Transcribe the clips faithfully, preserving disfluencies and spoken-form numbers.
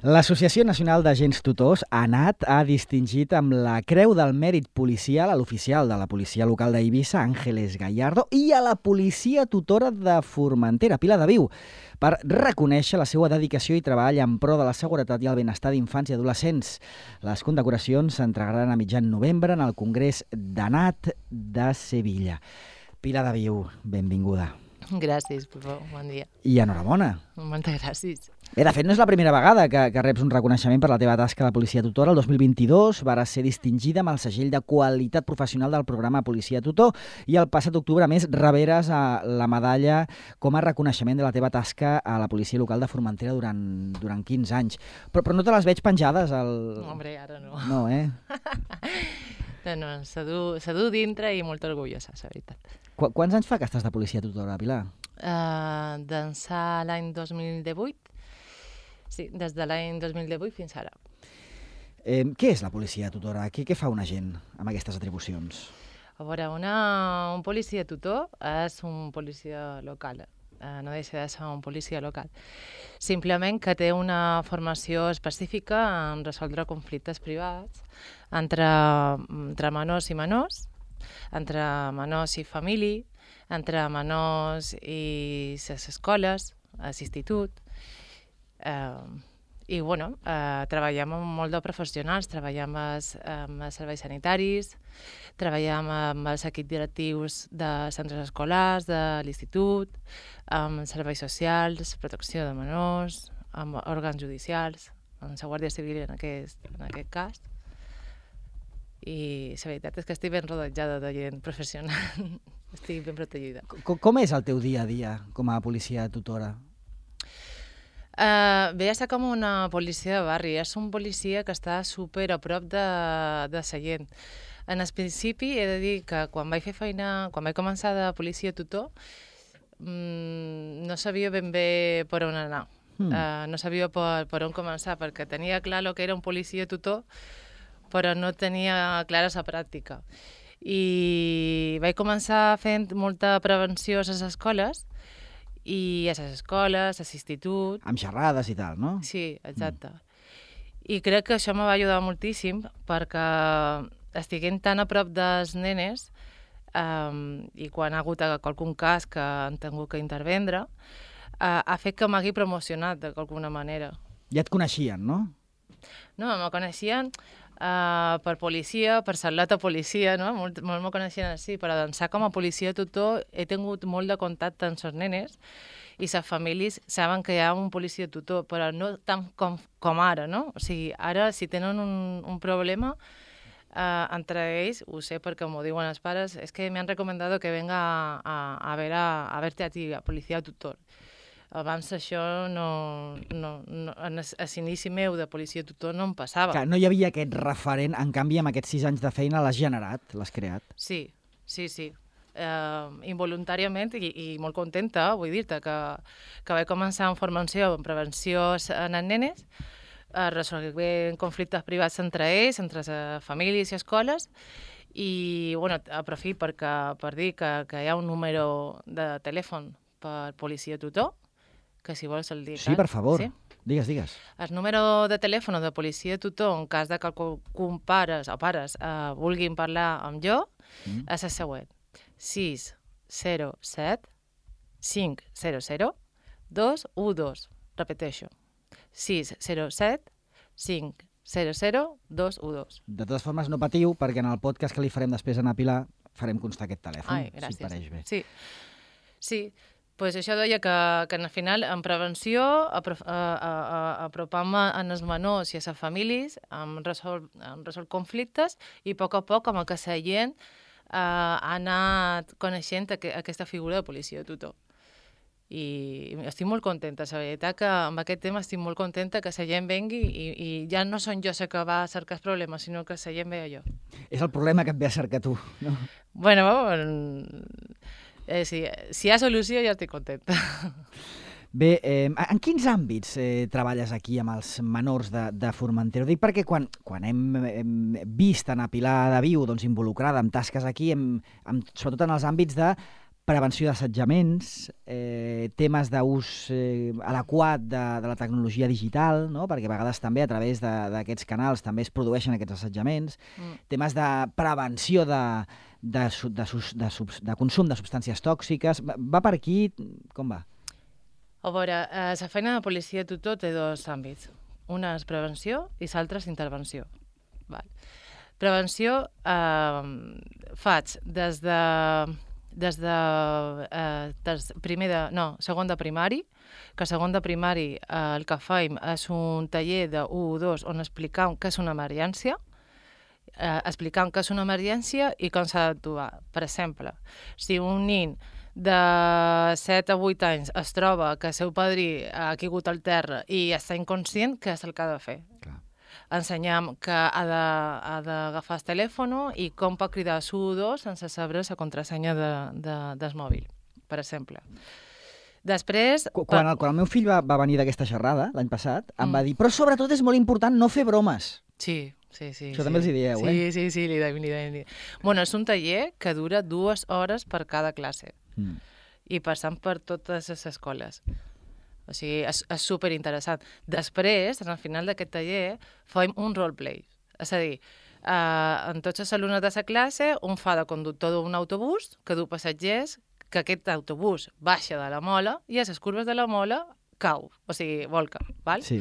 L'Associació Nacional d'Agents Tutors, ANAT, ha distingit amb la Creu del Mèrit Policial a l'oficial de la policia local d'Eivissa, Àngeles Gallardo, i a la policia tutora de Formentera, Pilar Daviu, per reconèixer la seva dedicació i treball en pro de la seguretat i el benestar d'infants i adolescents. Les condecoracions s'entregaran a mitjan novembre en el Congrés d'ANAT de Sevilla. Pilar Daviu, benvinguda. Gràcies, Pepó. Bon dia. I enhorabona. Moltes gràcies. Bé, de fet, no és la primera vegada que, que reps un reconeixement per la teva tasca de policia tutora. El dos mil vint-i-dos vas ser distingida amb el segell de qualitat professional del programa Policia Tutor i el passat octubre, a més, reberes a la medalla com a reconeixement de la teva tasca a la policia local de Formentera durant, durant quinze anys. Però, però no te les veig penjades al... Hombre, ara no. No, eh? No, no, se du, se du dintre i molt orgullosa, la veritat. Qu Quants anys fa que estàs de policia tutora, Pilar? Uh, D'ençà l'any dos mil divuit. Sí, des de l'any dos mil divuit fins ara. Eh, què és la policia tutora? Què, què fa un agent amb aquestes atribucions? A veure, una, un policia tutor és un policia local. Uh, no deixa de ser un policia local. Simplement que té una formació específica en resoldre conflictes privats entre, entre menors i menors, entre menors i família, entre menors i les escoles, l'institut. Eh, I, bueno, eh, treballem amb molt de professionals, treballem amb els serveis sanitaris, treballem amb els equips directius de centres escolars, de l'institut, amb serveis socials, protecció de menors, amb òrgans judicials, amb la Guàrdia Civil en aquest, en aquest cas. I la veritat és que estic ben rodejada de gent professional, estic ben protegida. Com, com és el teu dia a dia com a policia tutora? Uh, ve a ser com una policia de barri, és un policia que està super a prop de, de la gent. En el principi he de dir que quan vaig fer feina, quan vaig començar de policia tutor, mmm, no sabia ben bé per on anar, mm. uh, no sabia per, per on començar, perquè tenia clar el que era un policia tutor, però no tenia clara la pràctica. I vaig començar fent molta prevenció a les escoles, i a les escoles, a l'institut... Amb xerrades i tal, no? Sí, exacte. Mm. I crec que això me va ajudar moltíssim perquè estiguent tan a prop dels nenes um, i quan ha hagut qualcun cas que han tingut que intervendre, uh, ha fet que m'hagi promocionat d'alguna manera. Ja et coneixien, no? No, me coneixien uh, per policia, per Salata policia, no? Molt, molt me coneixien així, però d'ençà com a policia tutor he tingut molt de contacte amb les nenes i les famílies saben que hi ha un policia tutor, però no tant com, com ara, no? O sigui, ara si tenen un, un problema uh, entre ells, ho sé perquè m'ho diuen els pares, és que m'han recomandat que venga a, a, a, ver a, a verte a ti, a policia tutor. Abans això no, no, no a l'inici meu de policia tutor no em passava. Clar, no hi havia aquest referent, en canvi amb aquests sis anys de feina l'has generat, l'has creat. Sí, sí, sí. Uh, involuntàriament i, i molt contenta, vull dir-te, que, que vaig començar amb formació en prevenció en els nenes, uh, resolent conflictes privats entre ells, entre les famílies i escoles, i bueno, aprofit perquè, per dir que, que hi ha un número de telèfon per policia tutor, que si vols el dic. Sí, per favor. Sí? Digues, digues. El número de telèfon de policia tutor, en cas de que algun pares o pares uh, vulguin parlar amb jo, mm. és el següent. sis zero set cinc zero zero dos u dos. Repeteixo. sis zero set cinc zero zero dos u dos. De totes formes, no patiu, perquè en el podcast que li farem després a Pilar farem constar aquest telèfon, Ai, gràcies. si et pareix bé. Sí, sí. Pues això deia que, que al final en prevenció apropam a els menors i a les famílies, hem resolt, hem resolt conflictes i a poc a poc amb el que la gent eh, ha anat coneixent aqu aquesta figura de policia tutor. I estic molt contenta, la veritat que amb aquest tema estic molt contenta que la gent vengui i, i ja no són jo la que va a cercar els problemes, sinó que la gent ve a jo. És el problema que et ve a cercar tu, no? Bueno, Eh, si, si hi ha solució ja estic contenta. Bé, eh, en quins àmbits eh, treballes aquí amb els menors de, de Formentera? Ho dic perquè quan, quan hem, hem vist a Pilar Daviu doncs, involucrada en tasques aquí, hem, hem, sobretot en els àmbits de prevenció d'assetjaments, eh, temes d'ús eh, adequat de, de la tecnologia digital, no? Perquè a vegades també a través d'aquests canals també es produeixen aquests assetjaments, mm. temes de prevenció de, de, de, de, de, de consum de substàncies tòxiques. Va, va per aquí? Com va? A veure, eh, la feina de policia tutor té dos àmbits. Una és prevenció i l'altra és intervenció. Val. Prevenció eh, faig des de, des de, eh, des primer de, no, segon de primari, que segon de primari eh, el que faim és un taller de u o dos on explicam què és una emergència, eh, explicam què és una emergència i com s'ha d'actuar. Per exemple, si un nin de set a vuit anys es troba que el seu padrí ha caigut al terra i està inconscient, què és el que ha de fer? Clar. Ensenyam que ha d'agafar el telèfon i com pot cridar a u dos sense saber la contrasenya de, de, del mòbil, per exemple. Després... Quan el, quan el meu fill va, va venir d'aquesta xerrada, l'any passat, em mm. va dir, però sobretot és molt important no fer bromes. Sí, sí, sí. Això sí. també els hi dieu, sí, eh? Sí, sí, li deim, li deim. Bueno, és un taller que dura dues hores per cada classe. Mm. I passant per totes les escoles. O sigui, és, és superinteressant. Després, al final d'aquest taller, fem un roleplay. És a dir, eh, en tots els alumnes de la classe, un fa de conductor d'un autobús que du passatgers, que aquest autobús baixa de la mola i a les curves de la mola cau, o sigui, volca, val? Sí.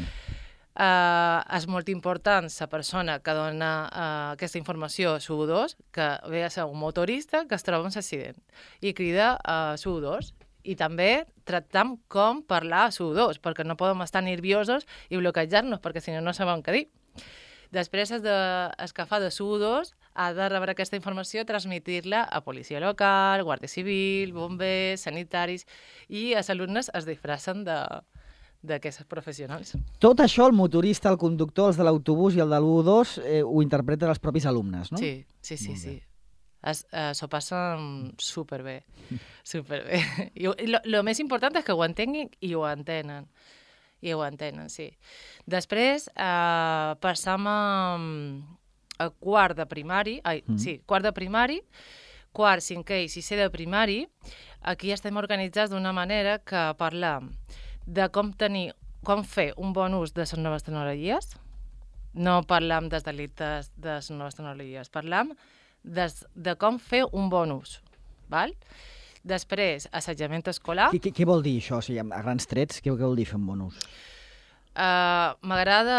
Uh, és molt important la persona que dona uh, aquesta informació a u dos, que ve a ser un motorista que es troba en l'accident i crida a u dos. I també tractam com parlar a u dos, perquè no podem estar nerviosos i bloquejar-nos, perquè si no, no sabem què dir. Després, el, de, el que fa de u dos ha de rebre aquesta informació, transmitir-la a policia local, guàrdia civil, bombers, sanitaris, i els alumnes es disfracen de... d'aquests professionals. Tot això, el motorista, el conductor, els de l'autobús i el de l'u dos, eh, ho interpreten els propis alumnes, no? Sí, sí, sí. sí. Es, eh, s'ho passen superbé, superbé. I el més important és que ho entenguin i ho entenen. I ho entenen, sí. Després, eh, passam a, a quart de primari, ai, mm. sí, quart de primari, quart, cinquè i sisè de primari. Aquí estem organitzats d'una manera que parlam de com tenir, com fer un bon ús de les noves tecnologies. No parlam dels delictes de les noves tecnologies, parlam des, de com fer un bon ús. Val? Després, assetjament escolar. Què, què, què vol dir això? O sigui, a grans trets, què, què vol dir fer un bon ús? Uh, M'agrada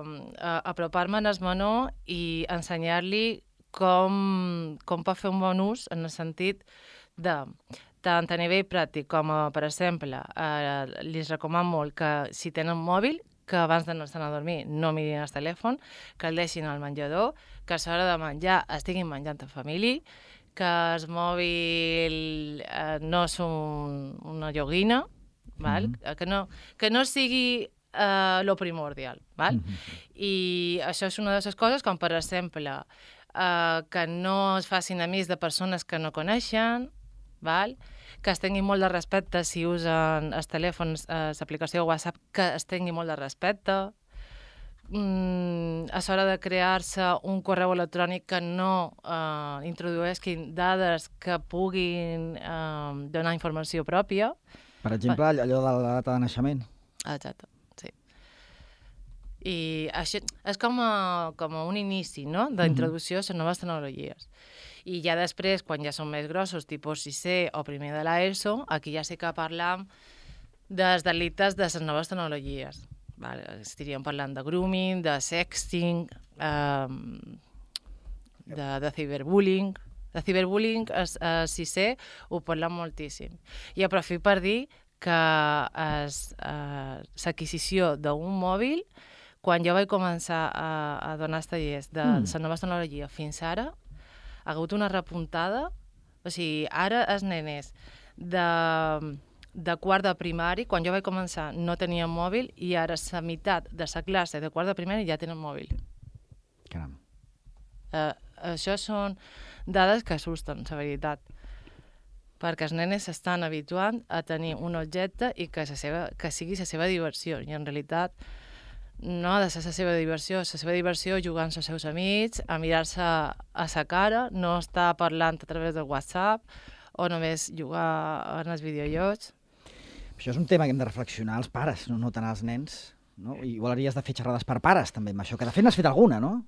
uh, apropar-me al menor i ensenyar-li com, com pot fer un bon ús en el sentit de... tant a nivell pràctic com, a, per exemple, eh, li recomano molt que si tenen mòbil, que abans d'anar-se'n a dormir no mirin el telèfon, que el deixin al menjador, que a l'hora de menjar estiguin menjant en família, que el mòbil eh, no és un, una joguina, val? Mm-hmm. que, no, que no sigui eh, lo primordial. Val? Mm-hmm. I això és una de les coses, com per exemple, eh, que no es facin amics de persones que no coneixen, val? Que es tingui molt de respecte si usen els telèfons, eh, l'aplicació WhatsApp, que es tingui molt de respecte. Mm, a l'hora de crear-se un correu electrònic que no eh, introdueixin dades que puguin eh, donar informació pròpia. Per exemple, allò de la data de naixement. Exacte, sí. I això és com, a, com a un inici, no?, d'introducció a les noves tecnologies. I ja després, quan ja són més grossos, tipus sisè o primer de l'ESO, aquí ja sí que parlam dels delictes de les noves tecnologies. Vale, estaríem parlant de grooming, de sexting, eh, de, de ciberbullying. De ciberbullying, a sisè, ho parlam moltíssim. I aprofito per dir que l'adquisició eh, d'un mòbil, quan jo vaig començar a, a donar els tallers de mm. la nova tecnologia fins ara, ha hagut una repuntada. O sigui, ara els nenes de, de quart de primari, quan jo vaig començar, no tenien mòbil, i ara la meitat de la classe de quart de primari ja tenen mòbil. Caram. Uh, això són dades que assusten, la veritat. Perquè els nenes s'estan habituant a tenir un objecte i que, seva, que sigui la seva diversió. I en realitat no ha de ser la seva diversió. La seva diversió jugant amb els seus amics, a mirar-se a sa cara, no estar parlant a través del WhatsApp o només jugar en els videojocs. Això és un tema que hem de reflexionar els pares, no, no tant els nens. No? Igual hauries de fer xerrades per pares, també, amb això, que de fet n'has fet alguna, no?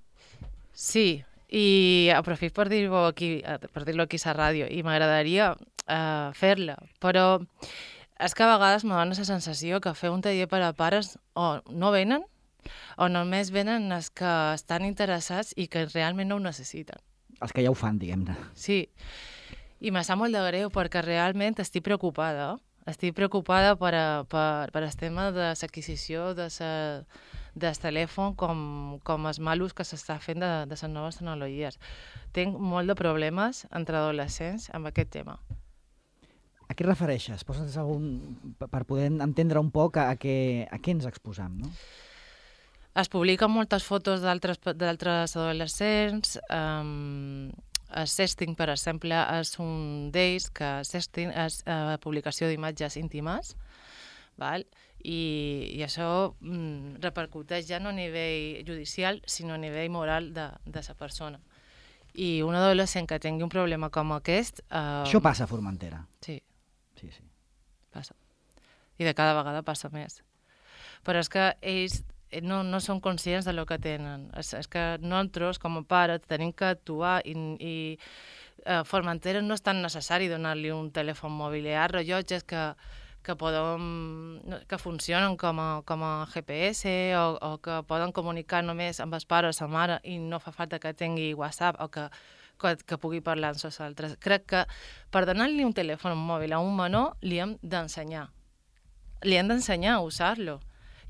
Sí, i aprofito per dir-ho aquí, per dir-lo aquí a la ràdio, i m'agradaria uh, fer-la, però és que a vegades me dona la sensació que fer un taller per a pares o no venen, o només venen els que estan interessats i que realment no ho necessiten. Els que ja ho fan, diguem-ne. Sí, i me sap molt de greu perquè realment estic preocupada, estic preocupada per, a, per, per el tema de l'adquisició de sa, del telèfon com, com els malos que s'està fent de, de les noves tecnologies. Tinc molt de problemes entre adolescents amb aquest tema. A què refereixes? Poses algun... per poder entendre un poc a, a, què, a què ens exposam, no? Es publiquen moltes fotos d'altres adolescents. Um, el sexting, per exemple, és un d'ells, que sexting és uh, publicació d'imatges íntimes, val? I, i això mm, repercuteix ja no a nivell judicial, sinó a nivell moral de, de la persona. I un adolescent que tingui un problema com aquest... Uh, això passa a Formentera. Sí. Sí, sí. Passa. I de cada vegada passa més. Però és que ells no, no són conscients de lo que tenen. És, és que nosaltres, com a pares, tenim que actuar i, i a Formentera no és tan necessari donar-li un telèfon mòbil. Hi ha rellotges que, que, poden, que funcionen com a, com a G P S o, o que poden comunicar només amb els pares o la mare i no fa falta que tingui WhatsApp o que Que, que pugui parlar amb nosaltres. Crec que per donar-li un telèfon mòbil a un menor li hem d'ensenyar. Li hem d'ensenyar a usar-lo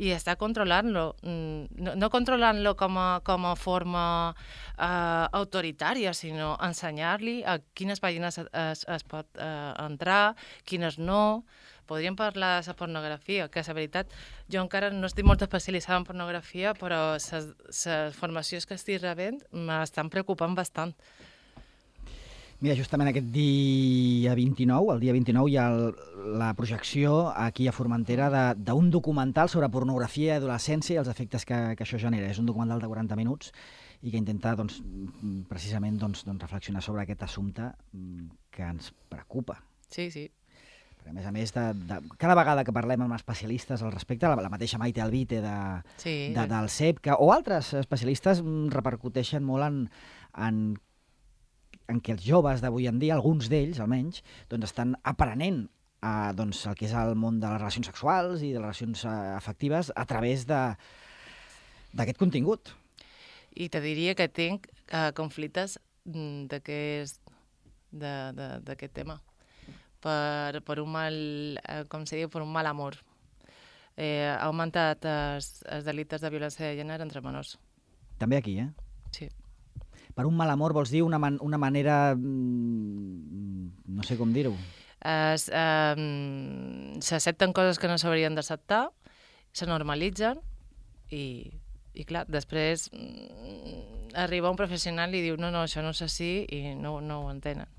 i estar controlant-lo. No, no controlant-lo com a, com a forma uh, autoritària, sinó ensenyar-li a quines pàgines es, es pot uh, entrar, quines no. Podríem parlar de la pornografia, que és la veritat, jo encara no estic molt especialitzada en pornografia, però les formacions que estic rebent m'estan preocupant bastant. Mira, justament aquest dia vint-i-nou, el dia vint-i-nou, hi ha el, la projecció aquí a Formentera d'un documental sobre pornografia i adolescència i els efectes que, que això genera. És un documental de quaranta minuts i que intenta doncs, precisament doncs, doncs, reflexionar sobre aquest assumpte que ens preocupa. Sí, sí. Perquè, a més a més, de, de, cada vegada que parlem amb especialistes al respecte, la, la mateixa Maite Alvite de, sí. de, del C E P, que, o altres especialistes repercuteixen molt en, en en què els joves d'avui en dia, alguns d'ells almenys, doncs estan aprenent a, doncs, el que és el món de les relacions sexuals i de les relacions afectives a través d'aquest contingut. I te diria que tinc uh, conflictes d'aquest tema. Per, per un mal, uh, com se diu, per un mal amor. Eh, ha augmentat els, els delictes de violència de gènere entre menors. També aquí, eh? Sí. Per un mal amor vols dir una, man una manera... no sé com dir-ho. S'accepten um, coses que no s'haurien d'acceptar, se normalitzen i, i clar, després mm, arriba un professional i diu no, no, això no és així i no, no ho entenen.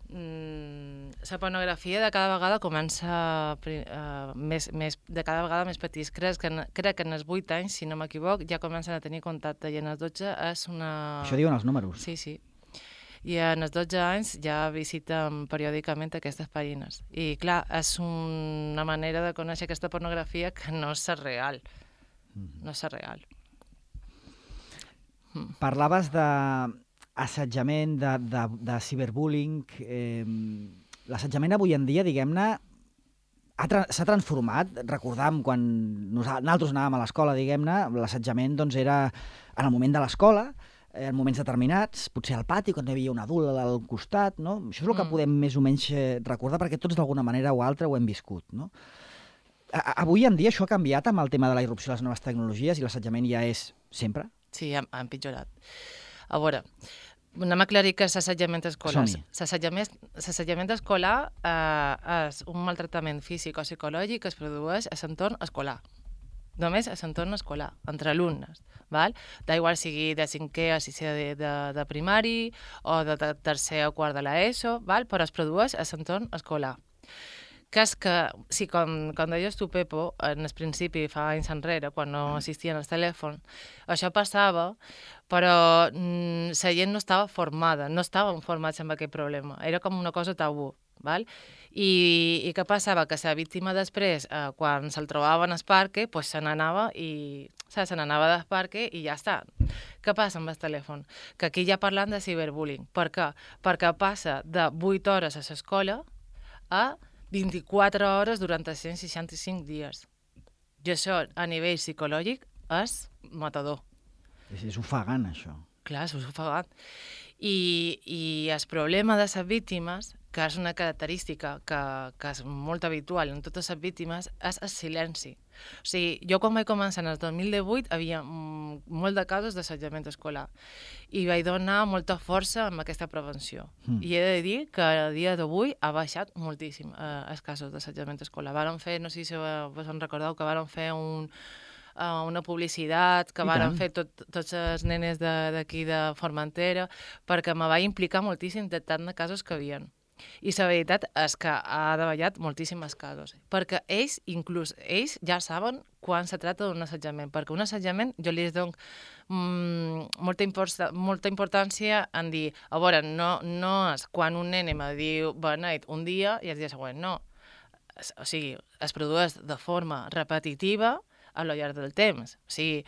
Mm, la pornografia de cada vegada comença uh, més, més, de cada vegada més petits. Crec que, crec que en els vuit anys, si no m'equivoc, ja comencen a tenir contacte i en els dotze és una... Això diuen els números. Sí, sí. I en els dotze anys ja visiten periòdicament aquestes pàgines. I clar, és una manera de conèixer aquesta pornografia que no és real. Mm-hmm. No és real. Mm. Parlaves de... assetjament, de, de, de ciberbullying. Eh, l'assetjament avui en dia, diguem-ne, s'ha transformat. Recordam quan nosaltres anàvem a l'escola, diguem-ne, l'assetjament doncs, era en el moment de l'escola, en moments determinats, potser al pati, quan hi havia un adult al costat, no? Això és el que mm. podem més o menys recordar, perquè tots d'alguna manera o altra ho hem viscut, no? Avui en dia això ha canviat amb el tema de la irrupció de les noves tecnologies i l'assetjament ja és sempre? Sí, ha, ha empitjorat. A veure, anem a aclarir que l'assetjament escolar. L'assetjament escolar eh, és un maltractament físic o psicològic que es produeix a l'entorn escolar. Només a l'entorn escolar, entre alumnes. D'igual sigui de cinquè a sisè de, de, de primari o de tercer o quart de l'ESO, val? Però es produeix a l'entorn escolar. que és que, sí, com, com deies tu, Pepo, en el principi, fa anys enrere, quan no existien els telèfons, això passava, però mm, la gent no estava formada, no estaven formats amb aquest problema. Era com una cosa tabú. Val? I, I què passava? Que la víctima després, eh, quan se'l trobaven al parque, pues se n'anava i se n'anava del parque i ja està. Què passa amb el telèfon? Que aquí ja parlant de ciberbullying. Per què? Perquè passa de vuit hores a l'escola a vint-i-quatre hores durant els cent seixanta-cinc dies. I això, a nivell psicològic, és matador. És, és ofegant, això. Clar, és ofegant. I, i el problema de les víctimes, que és una característica que, que és molt habitual en totes les víctimes, és el silenci. O sigui, jo quan vaig començar en el dos mil divuit havia molt de casos d'assetjament escolar i vaig donar molta força amb aquesta prevenció. Mm. I he de dir que a dia d'avui ha baixat moltíssim eh, els casos d'assetjament escolar. Varen fer, no sé si vos en recordeu, que varen fer un... Uh, una publicitat que varen fer tot, tots els nenes d'aquí de, de Formentera, perquè me vaig implicar moltíssim de tant de casos que havien. I la veritat és que ha davallat moltíssims casos, perquè ells, inclús ells, ja saben quan se tracta d'un assetjament, perquè un assetjament jo li dono mm, molta, import molta importància en dir, a veure, no, no és quan un nen me diu beneit un dia i el dia següent, no. O sigui, es produeix de forma repetitiva a lo llarg del temps. O sigui,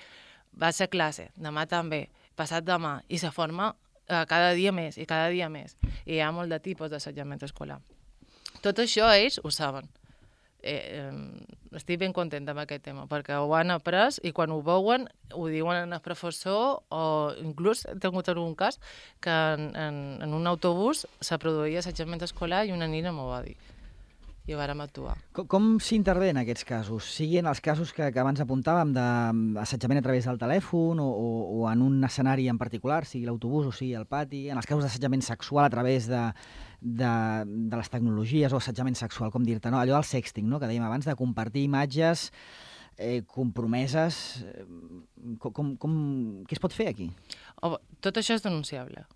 vaig a classe, demà també, passat demà, i se forma eh, cada dia més i cada dia més. I hi ha molt de tipus d'assetjament escolar. Tot això ells ho saben. Eh, eh, estic ben contenta amb aquest tema, perquè ho han après i quan ho veuen ho diuen al professor, o inclús he tingut un cas que en, en, en un autobús se produïa assetjament escolar i una nina m'ho va dir. I vàrem actuar. Com, com s'intervé en aquests casos? Siguin els casos que, que abans apuntàvem d'assetjament a través del telèfon o, o, o en un escenari en particular, sigui l'autobús o sigui el pati, en els casos d'assetjament sexual a través de, de, de les tecnologies o assetjament sexual, com dir-te, no? Allò del sexting, no? Que dèiem abans, de compartir imatges eh, compromeses. Eh, com, com, com, què es pot fer aquí? Oh, tot això és denunciable.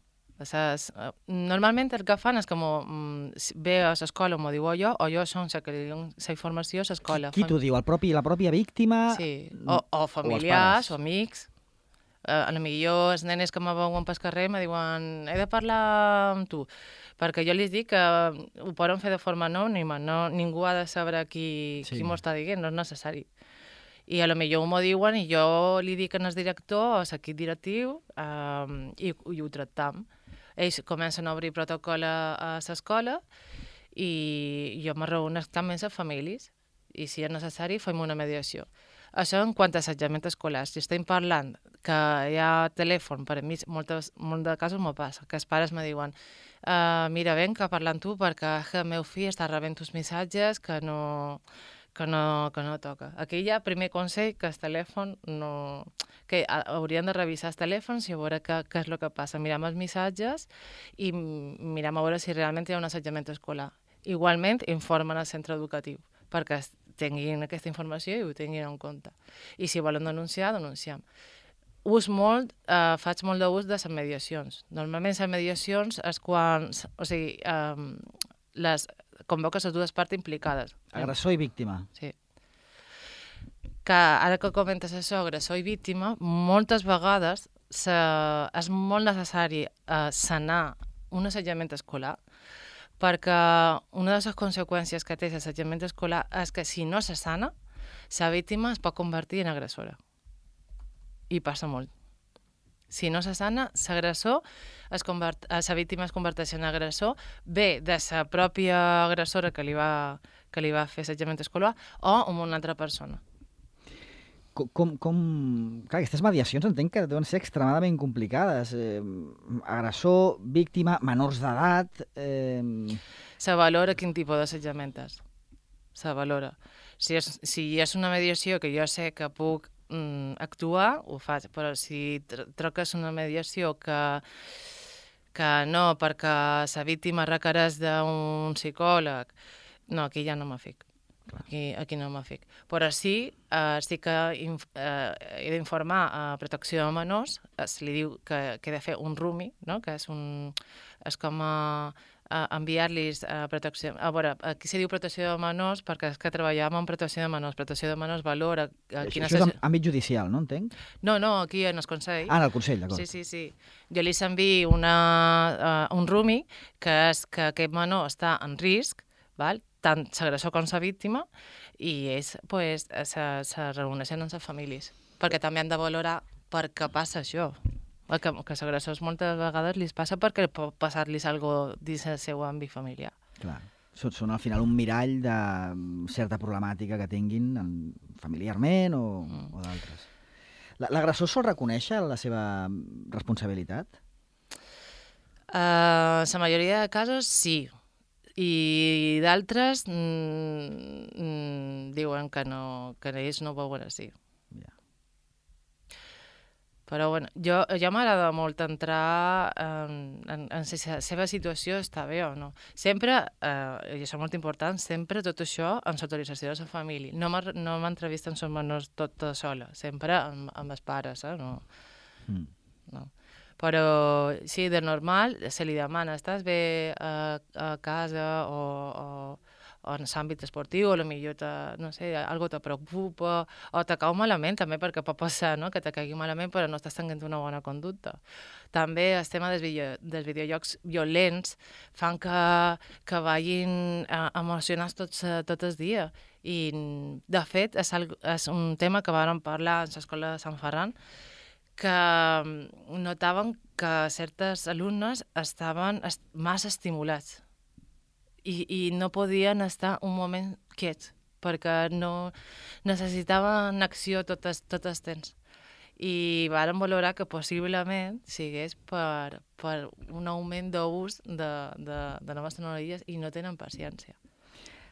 O sea, normalment el que fan és que mm, ve a l'escola, m'ho diu jo, o jo som la que li dono la informació a l'escola. Qui, qui t'ho diu? El propi, la pròpia víctima? Sí, o, o familiars, o, o amics. Eh, a lo millor els nenes que me veuen pel carrer me diuen he de parlar amb tu, perquè jo li dic que ho poden fer de forma anònima, no, ningú ha de saber qui, sí. qui m'ho està dient, no és necessari. I a lo millor m'ho diuen i jo li dic al director, a l'equip directiu, eh, i, i ho tractam. Ells comencen a obrir protocol a l'escola i jo me reuneixo també amb les famílies i si és necessari fem una mediació. Això en quant a assetjament escolar. Si estem parlant que hi ha telèfon, per a mi moltes, molt de casos m'ho passa, que els pares me diuen uh, mira, venc a parlar amb tu perquè el meu fill està rebent uns missatges que no... Que no, que no toca. Aquí hi ha primer consell que el telèfon no... que haurien de revisar els telèfons i veure què, què és el que passa. Miram els missatges i miram a veure si realment hi ha un assetjament escolar. Igualment, informen al centre educatiu perquè tinguin aquesta informació i ho tinguin en compte. I si volen denunciar, denunciem. Ús molt, eh, faig molt d'ús de les mediacions. Normalment les mediacions és quan... O sigui, eh, les convoques les dues parts implicades. Agressor i víctima. Sí. Que ara que comentes això, agressor i víctima, moltes vegades se, és molt necessari eh, sanar un assetjament escolar perquè una de les conseqüències que té l'assetjament escolar és que si no se sana, la víctima es pot convertir en agressora. I passa molt. Si no se sana, l'agressor, la víctima es converteix en agressor, bé de la pròpia agressora que li va, que li va fer assetjament escolar o amb una altra persona. Com, com, com... Clar, aquestes mediacions entenc que deuen ser extremadament complicades. Eh, agressor, víctima, menors d'edat... Eh... Se valora quin tipus d'assetjament és. Se valora. Si és, si és una mediació que jo sé que puc actuar, ho faig, però si troques una mediació que, que no, perquè la víctima requereix d'un psicòleg, no, aquí ja no me fic. Aquí, aquí no me fic. Però sí, eh, sí que inf eh, he d'informar a Protecció de Menors, es li diu que, que he de fer un R U M I, no? Que és, un, és com a, uh, enviar-los a protecció... A veure, aquí se diu protecció de menors perquè és que treballàvem en protecció de menors. Protecció de menors valora... Uh, Això, això és en àmbit judicial, no entenc? No, no, aquí en el Consell. Ah, en el Consell, d'acord. Sí, sí, sí. Jo li envio una, uh, un rumi que és que aquest menor està en risc, val? Tant l'agressor com la víctima, i ells pues, se, se reuneixen amb les famílies, perquè també han de valorar per què passa això. Que, que els agressors moltes vegades li passa perquè pot passar-los alguna cosa dins el seu àmbit familiar. Clar. Són, són al final un mirall de certa problemàtica que tinguin familiarment o, mm. o d'altres. L'agressor sol reconèixer la seva responsabilitat? Uh, la majoria de casos sí. I d'altres mm, mm, diuen que, no, que ells no veuen així. Yeah. Però bueno, jo, jo m'agrada molt entrar en, en, en si la seva situació està bé o no. Sempre, eh, i això és molt important, sempre tot això amb l'autorització de la família. No m'entrevisten els menors tot, tot sola, sempre amb, amb els pares, eh? No. Mm. No. Però sí, de normal se li demana, estàs bé a, a casa o, o, o en l'àmbit esportiu, o potser te, no sé, algo te preocupa, o te cau malament també, perquè pot passar, no?, que te caigui malament però no estàs tenint una bona conducta. També el tema dels, video, dels videojocs violents fan que, que vagin eh, emocionats tots, tot el dia. I, de fet, és, algo, és un tema que vàrem parlar a l'escola de Sant Ferran, que notaven que certes alumnes estaven est massa estimulats i, i no podien estar un moment quiets perquè no necessitaven acció tot el, tot el temps. I vàrem valorar que possiblement sigués per, per un augment d'ús de, de, de noves tecnologies i no tenen paciència.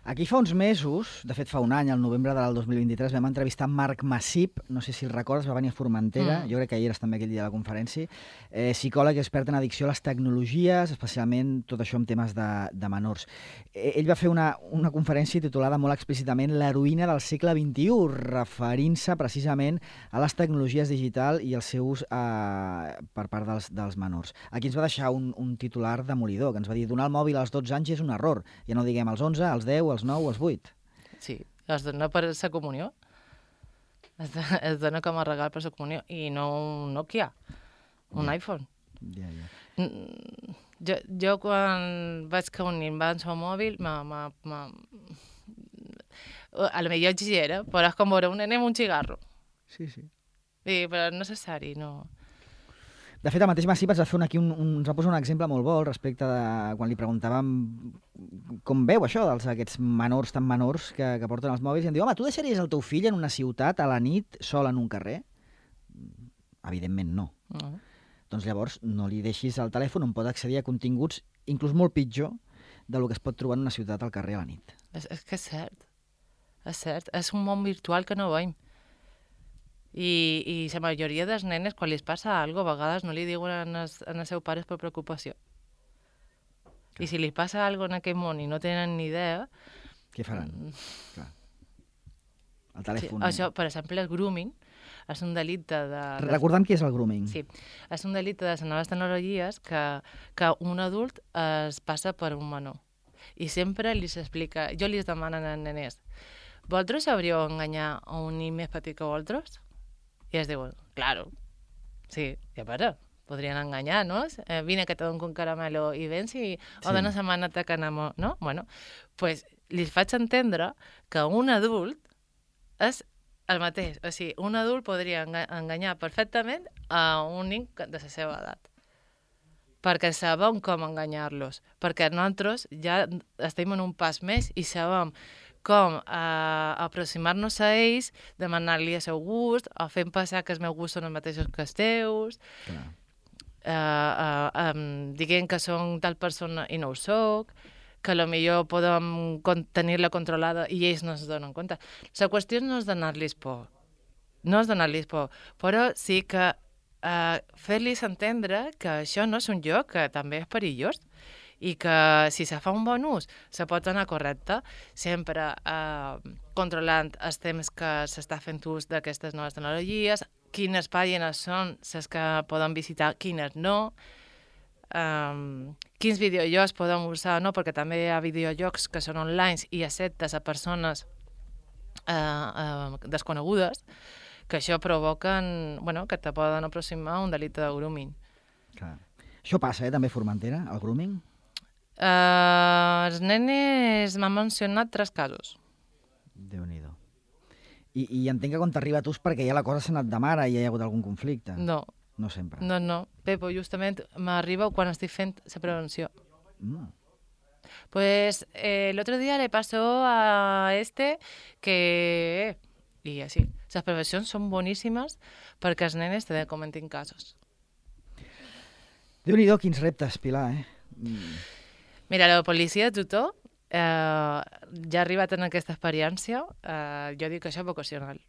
Aquí fa uns mesos, de fet fa un any, al novembre del dos mil vint-i-tres, vam entrevistar Marc Massip, no sé si el recordes, va venir a Formentera, mm. jo crec que hi eres també aquell dia de la conferència, eh, psicòleg i expert en addicció a les tecnologies, especialment tot això amb temes de, de menors. Eh, ell va fer una, una conferència titulada molt explícitament L'heroïna del segle vint-i-u, referint-se precisament a les tecnologies digitals i el seu ús eh, per part dels, dels menors. Aquí ens va deixar un, un titular demolidor, que ens va dir donar el mòbil als dotze anys és un error, ja no diguem als onze, als deu, als nou o als vuit. Sí, es dona per la comunió. Es, es dona com a regal per la comunió. I no un Nokia, un yeah. iPhone. Yeah, yeah. Jo, jo quan vaig que un nen va en el mòbil, ma, ma, ma... a lo millor exigera, però és com veure un nen amb un cigarro. Sí, sí. I, però és necessari, no... De fet, el mateix Massip ens va fer un, aquí un, un, ens va posar un exemple molt bo respecte de quan li preguntàvem com veu això dels aquests menors tan menors que, que porten els mòbils i em diu, home, tu deixaries el teu fill en una ciutat a la nit sol en un carrer? Evidentment no. Uh -huh. Doncs llavors no li deixis el telèfon on pot accedir a continguts inclús molt pitjor del que es pot trobar en una ciutat al carrer a la nit. És, és que és cert. És cert. És un món virtual que no veiem. I, i la majoria dels nenes, quan li passa alguna cosa, a vegades no li diuen als seus pares per preocupació. Clar. I si li passa alguna cosa en aquest món i no tenen ni idea... Què faran? Mm. Clar. El telèfon... Sí, això, per exemple, el grooming és un delicte de... Recordem què és el grooming. Sí, és un delicte de les noves tecnologies que, que un adult es passa per un menor. I sempre li s'explica... Jo li demanen als nenes, vosaltres sabríeu enganyar a un nen més petit que vosaltres? I es diuen, claro, sí, ja para, podrien enganyar, no? Eh, vine que te dono un caramelo i vens i o sí. D'una setmana t'acanamo, no? Bueno, pues li faig entendre que un adult és el mateix. O sigui, un adult podria enganyar perfectament a un nen de la seva edat. Perquè sabem com enganyar-los. Perquè nosaltres ja estem en un pas més i sabem com eh, aproximar-nos a ells, demanar-li el seu gust, o fent passar que els meus gustos són els mateixos que els teus, eh, eh, eh, dient que són tal persona i no ho soc, que potser podem tenir-la controlada i ells no es donen compte. La qüestió no és donar-los por, no és donar-los por, però sí que eh, fer-los entendre que això no és un joc, que també és perillós, i que si se fa un bon ús se pot anar correcte, sempre eh, controlant els temps que s'està fent ús d'aquestes noves tecnologies, quines pàgines són les que poden visitar, quines no, eh, quins videojocs podem usar, no? Perquè també hi ha videojocs que són online i acceptes a persones eh, eh, desconegudes, que això provoquen, bueno, que te poden aproximar a un delicte de grooming. Clar. Això passa, eh, també a Formentera, el grooming? Uh, els nenes m'han mencionat tres casos. Déu-n'hi-do. I, I entenc que quan t'arriba a tu és perquè ja la cosa s'ha anat de mare i hi ha hagut algun conflicte. No. No sempre. No, no. Pepo, justament m'arriba quan estic fent la prevenció. Mm. Pues eh, el otro día le pasó a este que... Y así. Las prevencions són boníssimes perquè els nenes te comentin casos. Déu-n'hi-do, quins reptes, Pilar, eh? Mm. Mira, la policia de tutor, eh, ja ha arribat en aquesta experiència, eh, jo dic que això és vocacional,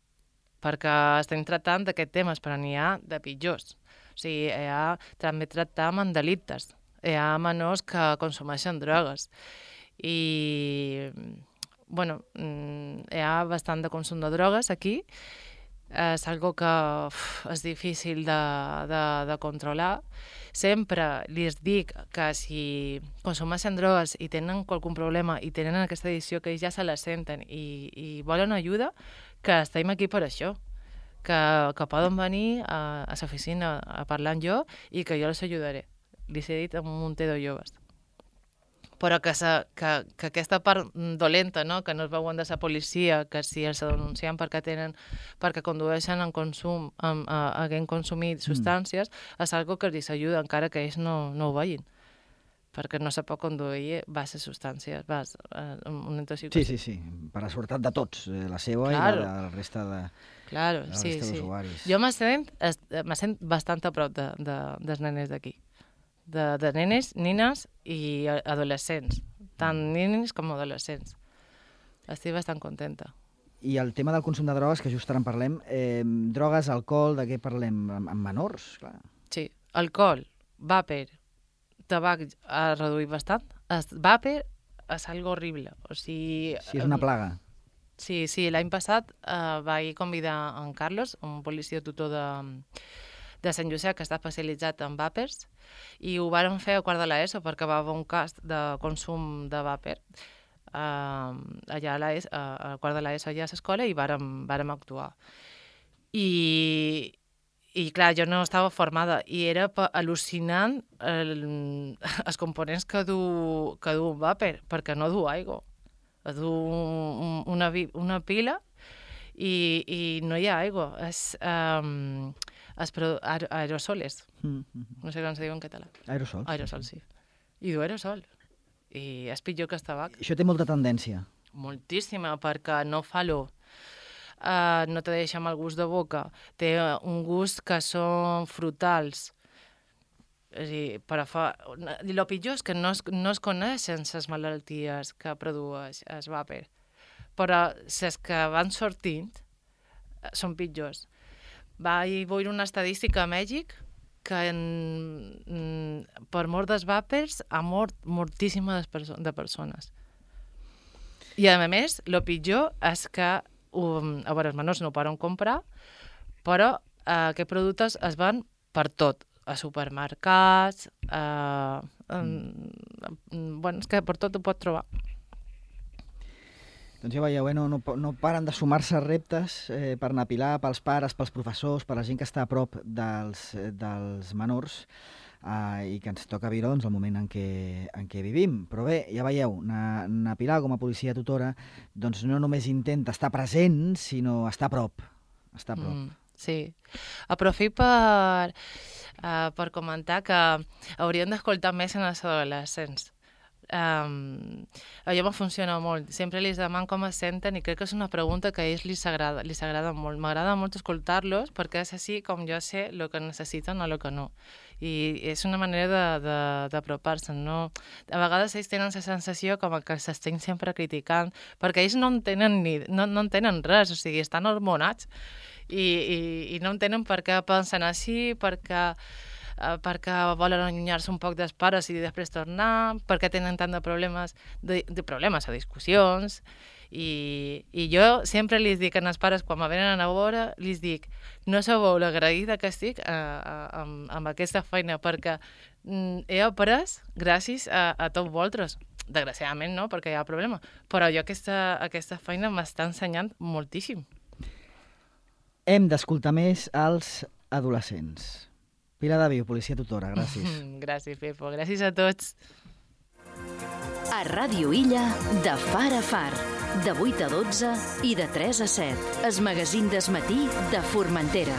perquè estem tractant d'aquests temes, però n'hi ha de pitjors. O sigui, hi ha, també tractam amb delictes. Hi ha menors que consumeixen drogues. I, bueno, hi ha bastant de consum de drogues aquí. És algo que uf, és difícil de, de, de controlar. Sempre li dic que si consumeixen drogues i tenen qualsevol problema i tenen aquesta edició que ells ja se la senten i, i volen ajuda, que estem aquí per això, que, que poden venir a, a l'oficina a parlar amb jo i que jo els ajudaré. Li he dit a un munt de joves. Però que, sa, que, que aquesta part dolenta, no? Que no es veuen de la policia, que si els denuncien perquè tenen, perquè condueixen en consum, en, a, haguent consumit substàncies, mm. és algo que els ajuda encara que ells no, no ho vegin. Perquè no se pot conduir base substàncies, base, una intoxicació. Sí, sí, sí, per la seguretat de tots, la seva claro. I la de la resta de, claro, de la sí, resta sí. d'usuaris. Jo me sent, me sent bastant a prop de, de, dels nenes d'aquí. De, de nenes, nines i adolescents, tant nens com adolescents. Estic bastant contenta. I el tema del consum de drogues, que just ara en parlem, eh, drogues, alcohol, de què parlem? Amb, amb menors? Clar. Sí, alcohol, vàper, tabac ha reduït bastant. El vàper és algo horrible. O sigui, sí, és una plaga. Sí, sí, l'any passat eh, vaig convidar en Carlos, un policia tutor de... de Sant Josep, que està especialitzat en vàpers, i ho vàrem fer a quart de l'ESO perquè va haver un cas de consum de vàper uh, allà a, la ESO, a quart de l'ESO, allà a l'escola, i vàrem, vàrem actuar. I, I, clar, jo no estava formada, i era al·lucinant el, els components que du, que du un vàper, perquè no du aigua. Du un, una, una pila i, i no hi ha aigua. És... Um, es produ... Aer aerosoles. Mm -hmm. No sé com se diu en català. Aerosols. Aerosols, sí. I du aerosol. I és pitjor que el tabac. Això té molta tendència. Moltíssima, perquè no fa olor. Uh, no te deixa mal gust de boca. Té un gust que són frutals. És a dir, però fa... El pitjor és que no es, no es coneixen les malalties que produeix el vàper. Però les que van sortint són pitjors. Vaig veure una estadística a Mèxic que en, per mort dels vàpers ha mort moltíssimes perso de persones. I a més, el pitjor és que um, a veure, els menors no ho poden comprar, però uh, aquests productes es van per tot, a supermercats, uh, um, bueno, és que per tot ho pots trobar. Doncs ja veieu, eh? no, no, no paren de sumar-se reptes eh, per anar a Pilar, pels pares, pels professors, per la gent que està a prop dels, dels menors eh, i que ens toca viure doncs, el moment en què, en què vivim. Però bé, ja veieu, na, na Pilar com a policia tutora doncs no només intenta estar present, sinó estar a prop. Estar a prop. Mm, sí. Aprofito per, uh, per comentar que hauríem d'escoltar més en els adolescents. Um, allò me funciona molt. Sempre li demano com es senten i crec que és una pregunta que a ells li s'agrada li s'agrada molt. M'agrada molt escoltar-los perquè és així com jo sé el que necessiten o el que no. I és una manera d'apropar-se, no? A vegades ells tenen la sensació com que s'estem sempre criticant perquè ells no entenen, ni, no, no entenen res, o sigui, estan hormonats i, i, i no entenen per què pensen així, perquè... Uh, perquè volen allunyar-se un poc dels pares i després tornar, perquè tenen tant de problemes, de, de problemes a discussions, I, I jo sempre li dic als pares, quan me venen a veure, li dic, no sabeu l'agraïda que estic a, a, amb, amb aquesta feina, perquè mm, he après gràcies a, a tots vosaltres. Desgraciadament no, perquè hi ha problema, però jo aquesta, aquesta feina m'està ensenyant moltíssim. Hem d'escoltar més els adolescents. Pilar Daviu, policia tutora, gràcies. Gràcies, Pepo, gràcies a tots. A Ràdio Illa, de far a far, de vuit a dotze i de tres a set. El magazín d'esmatí de Formentera.